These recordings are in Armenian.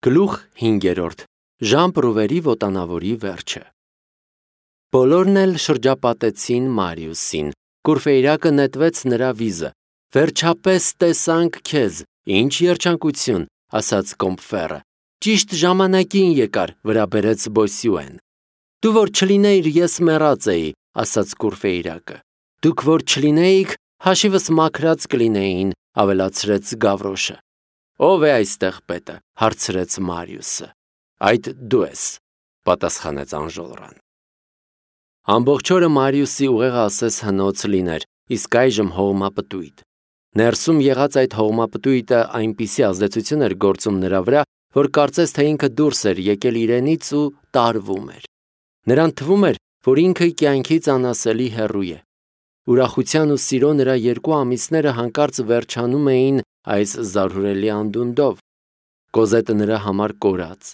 Գլուխ 5. Ժան Պրուվերի ոտանավորի վերջը։ Բոլորն էլ շրջապատեցին Մարիուսին, Կուրֆեյրակը նետվեց նրա վիզը։ Վերջապես տեսանք քեզ, ինչ երջանկություն, ասաց Կոմփֆերը։ Ճիշտ ժամանակին եկար, վրա բերեց Բոսյուեն։ Դու որ չլինեիր, ես մեռած էի, ասաց Կուրֆեյրակը։ Դուք որ չլինեիք, հաշիվս մաքրած կլինեին, ավելացրեց Գավրոշը։ Ո՞վ է այստեղ պետը, հարցրեց Մարիուսը։ Այդ դու ես, պատասխանեց Անժոլրան։ Ամբողջ օրը Մարիուսի ուղեղը ասես հնոց լիներ, իսկ այժմ հողմապտույտ։ Ներսում եղած այդ հողմապտույտը այնպիսի ազդեցություն էր գործում նրա վրա, որ կարծես թե ինքը դուրս էր եկել իրենից ու տարվում էր։ Նրան թվում էր, որ ինքը կյանքից անասելի հեռու է։ Ուրախության ու սիրո նրա 2 ամիսները հանկարծ վերջանում էին այս զարհուրելի անդունդով։ Կոզետը նրա համար կորած,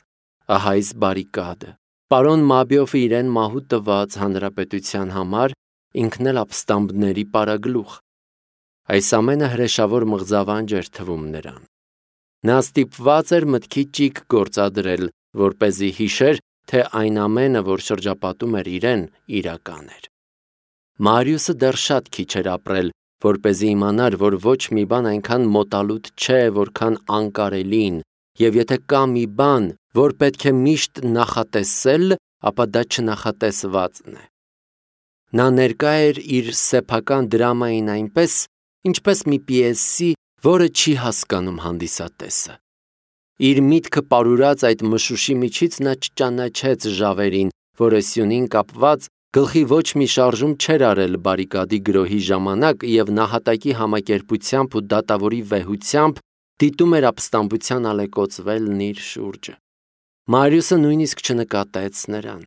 ահա այս բարիկադը։ Պարոն Մաբիոֆը իրեն մահու տված հանրապետության համար, ինքն էլ ապստամբների պարագլուխ։ Այս ամենը հրեշավոր մղձավանջ էր թվում նրան։ Նա ստիպված էր մտքի ճիգ գործադրել, որպեսզի հիշեր, թե այն ամենը, որ շրջապատում էր իրեն, իրական էր։ Մարիուսը դեռ շատ քիչ էր ապրել, որպեսզի իմանար, որ ոչ մի բան այնքան մոտալուտ չէ, որքան անկարելին, եւ եթե կա մի բան, որ պետք է միշտ նախատեսել, ապա դա չնախատեսվածն է։ Նա ներկա էր իր սեփական դրամային այնպես, ինչպես մի պիեսի, որը չի հասկանում հանդիսատեսը։ Իր միտքը պարուրած այդ մշուշի միջից նա չճանաչեց ժավերին, որը սյունին կապված գլխի ոչ մի շարժում չէր արել բարիկադի գրոհի ժամանակ եւ նահատակի համակերպությամբ ու դատավորի վեհությամբ դիտում էր ապստամբության ալեկոծվելն իր շուրջը։ Մարիուսը նույնիսկ չնկատեց նրան։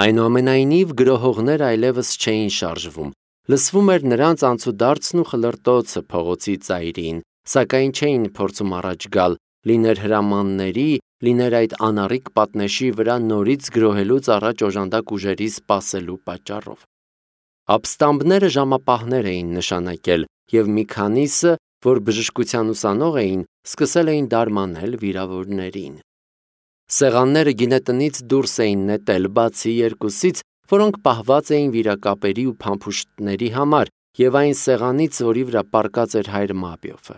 Այնուամենայնիվ գրոհողները այլևս չէին շարժվում։ Լսվում էր նրանց անցուդարձն ու խլրտոցը փողոցի ծայրին, սակայն չէին փորձում առաջ գալ, լիներ հրամանների, լիներ այդ անառիկ պատնեշի վրա նորից գրոհելուց առաջ օժանդակ ուժերի սպասելու պատճառով։ Ապստամբները ժամապահներ էին նշանակել, եւ մի քանիսը, որ բժշկության ուսանող էին, սկսել էին դարմանել վիրավորներին։ Սեղանները գինետնից դուրս էին նետել, բացի 2-ից, որոնք պահված էին վիրակապերի ու փամփուշտների համար, եւ այն սեղանից, որի վրա պառկած էր հայր Մաբիոֆը։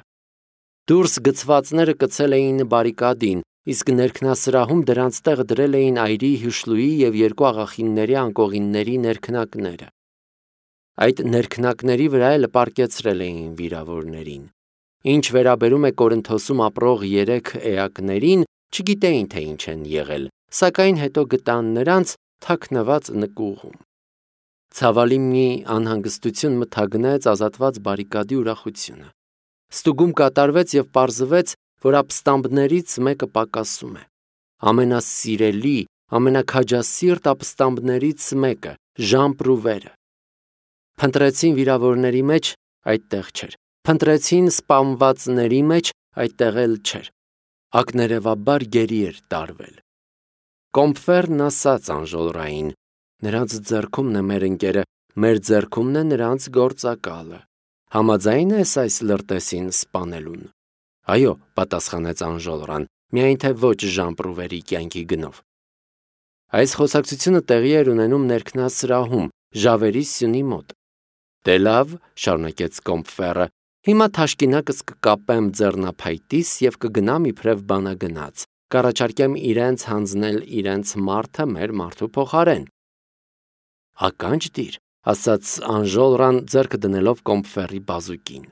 Դուրս գցվածները կցել էին բարիկադին, իսկ ներքնասրահում դրանց տեղը դրել էին այրի հյուշլուի եւ 2 աղախինների անկողինների ներքնակները։ Այդ ներքնակների վրա էլ պառկեցրել էին վիրավորներին։ Ինչ վերաբերում է Կորինթոսում ապրող 3 էակներին, չգիտեին թե ինչ են եղել, սակայն հետո գտան նրանց թաքնված նկուղում։ Ցավալի մի անհանգստություն մթագնեց ազատված բարիկադի ուրախությունը։ Ստուգում կատարվեց եւ պարզվեց, որ ապստամբներից մեկը պակասում է։ Ամենասիրելի, ամենաքաջասիրտ ապստամբներից մեկը, Ժան Պրուվերը։ Փնտրեցին վիրավորների մեջ, այդտեղ չէր։ Փնտրեցին սպանվածների մեջ, այդտեղ էլ չէր։ Ակներևաբար գերի էր տարվել։ Կոմփֆերն ասաց Անժոլրային. նրանց ձեռքումն է մեր ընկերը, մեր ձեռքումն է նրանց գործակալը։ Համաձայն ես այս լրտեսին սպանելուն։ Այո, պատասխանեց Անժոլրան, միայն թե ոչ Ժան Պրուվերի կյանքի գնով։ Այս խոսակցությունը տեղի էր ունենում ներքնասրահում, ժավերի սյունի մոտ։ Դե լավ, շարունակեց Կոմփֆերը, հիմա թաշկինակս կկապեմ ձեռնափայտիս եւ կգնամ իբրև բանագնաց, կառաջարկեմ իրենց հանձնել իրենց մարդը մեր մարդու փոխարեն։ Ականջ դիր, ասաց Անժոլրան ձեռքը դնելով Կոմփֆերի բազուկին։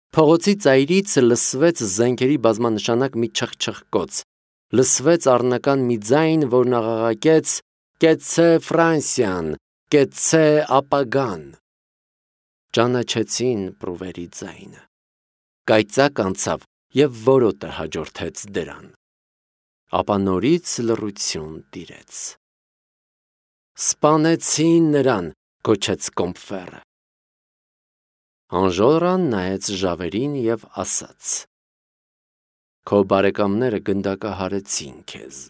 Փողոցի ծայրից լսվեց զենքերի բազմանշանակ մի չխչխկոց, լսվեց առնական մի ձայն, որն աղաղակեց. «Կեցցե Ֆրանսիան, կեցցե ապագան»։ Ճանաչեցին Պրուվերի ձայնը։ Կայծակ անցավ եւ որոտը հաջորդեց դրան։ Ապա նորից լռություն տիրեց։ Սպանեցին նրան, գոչեց Կոմփֆերը։ Անժոլրան նայեց ժավերին եւ ասաց. Քո բարեկամները գնդակահարեցին քեզ։